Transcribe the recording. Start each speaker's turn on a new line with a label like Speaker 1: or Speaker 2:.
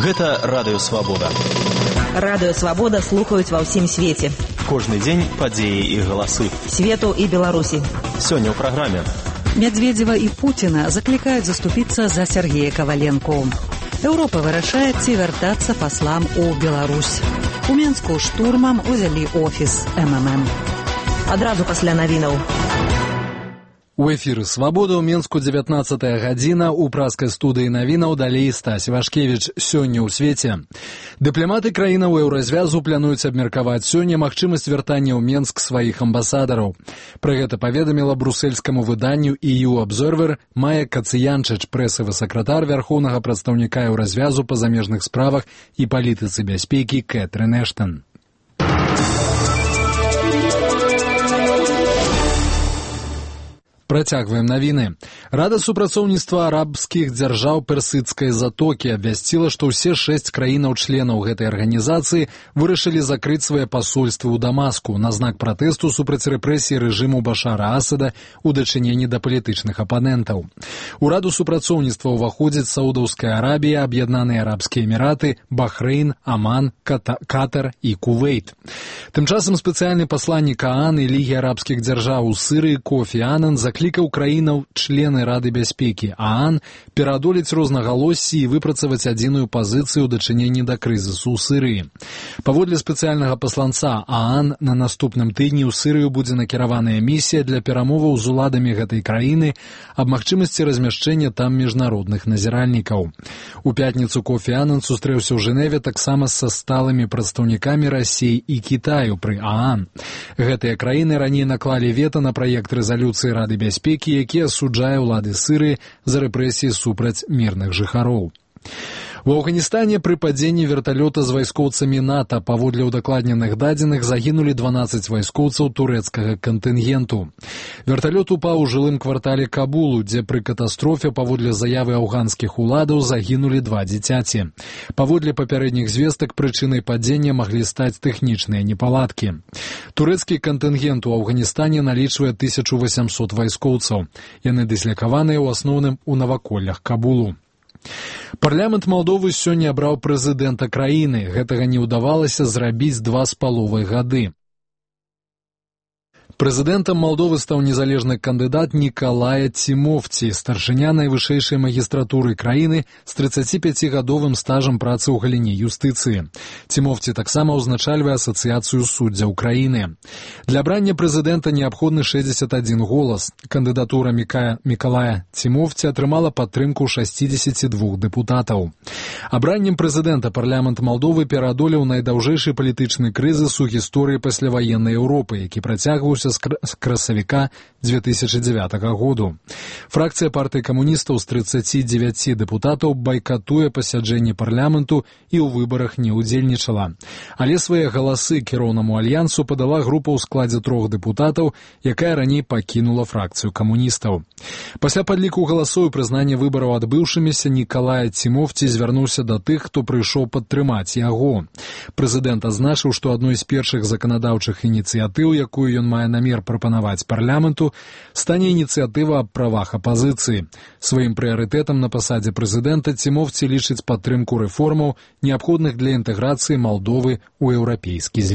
Speaker 1: Гэта Радыё Свабода.
Speaker 2: Радыё Свабода слухаюць ва ўсім свеце.
Speaker 1: Кожны дзень падзеі і галасы.
Speaker 2: Свету і Беларусі.
Speaker 1: Сёння ў праграме.
Speaker 3: Медведева і Путіна заклікаюць заступіцца за Сергея Коваленко. Еўропа вырашае, ці вяртацца паслам у Беларусь. У Менску штурмам узялі офіс МММ.
Speaker 2: Адразу пасля навінаў.
Speaker 4: У эфіры «Свабода» ў Менску 19 гадзіна, у праскай студыі навінаў далей Стась Вашкевіч. Сёння ў свеце. Дыпламаты краінаў еўразвязу плануюць абмеркаваць сёння магчымасць вяртання ў Менск сваіх амбасадараў. Пра гэта паведаміла брусельскаму выданню EU Observer Майя Кацыянчыч, прэсавы сакратар вярхоўнага прадстаўніка еўразвязу па замежных справах і палітыцы бяспекі Кэтрын Эштан. Працягваем навіны. Рада супрацоўніцтва арабскіх дзяржаў персыдскай затокі абвясціла, што ўсе 6 краінаў-членаў гэтай арганізацыі вырашылі закрыць свае пасольствы ў Дамаску на знак пратэсту супраць рэпрэсій рэжыму Башара Асада ў дачыненні да палітычных апанентаў. У раду супрацоўніцтва ўваходзяць Саудаўская Арабія, Аб'яднаныя Арабскія Эміраты, Бахрэйн, Аман, Катар і Кувейт. Тым часам спецыяльны пасланнік ААН і Лігі арабскіх дзяржаў у Сырыі Кофі Анан заклікаў краінаў-члены Рады бяспекі ААН пераадолець рознагалоссі і выпрацаваць адзіную пазіцыю ў дачыненні да крызісу ў Сырыі. Паводле спецыяльнага пасланца ААН, на наступным тыдні ў Сырыю будзе накіраваная місія для перамоваў з уладамі гэтай краіны аб магчымасці размяшчэння там міжнародных назіральнікаў. У пятніцу Кофі Анан сустрэўся ў Жэневе таксама са сталымі прадстаўнікамі Расіі і Кітаю пры ААН. Гэтыя краіны раней наклалі вета на праект рэзалюцыі Рады бяспекі, які асуджае ўлады Сырыі за рэпрэсіі супраць мірных жыхароў. У Афганістане пры падзенні верталёта з вайскоўцамі НАТО паводле ўдакладненых дадзеных загінулі 12 вайскоўцаў турэцкага кантынгенту. Верталёт упаў у жылым квартале Кабулу, дзе пры катастрофе паводле заявы афганскіх уладаў загінулі 2 дзіцяці. Паводле папярэдніх звестак прычынай падзення маглі стаць тэхнічныя непаладкі. Турэцкі кантынгент у Афганістане налічвае 1800 вайскоўцаў. Яны дыслякаваныя ў асноўным у наваколлях Кабулу. Парламент Малдовы сёння абраў прэзідэнта краіны. Гэтага не ўдавалася зрабіць 2,5 гады. Прэзідэнтам Малдовы стаў незалежны кандыдат Нікалая Цімофці, старшыня найвышэйшай магістратуры краіны з 35-гадовым стажам працы ў галіне юстыцыі. Цімофці таксама ўзначальвае асацыяцыю суддзяў краіны. Для абрання прэзідэнта неабходны 61 голас. Кандыдатура Нікалая Цімофці атрымала падтрымку 62 дэпутатаў. Абраннем прэзідэнта парламент Малдовы пераадолеў найдаўжэйшы палітычны крызіс у гісторыі пасляваеннай Еўропы, які працягваўся з красавіка 2009 году. Фракцыя партыі камуністаў з 39 дэпутатаў байкатуе пасяджэнне парламенту і ў выбарах не ўдзельнічала. Але свае галасы кіроўнаму альянсу падала група ў складзе 3 дэпутатаў, якая раней пакінула фракцыю камуністаў. Пасля падліку галасоў і прызнання выбараў адбыўшымися, Нікалая Цімофці звярнуўся да тых, хто прыйшоў падтрымаць яго. Прэзідэнт азначыў, што адной з першых заканадаўчых ініцыятыў, якую ён мае намер прапанаваць парламенту, стане ініцыятыва аб правах апазіцыі. Сваім прыярытэтам на пасадзе прэзідэнта Цімофці лічыць падтрымку рэформаў, неабходных для інтэграцыі Малдовы ў еўрапейскі звяз.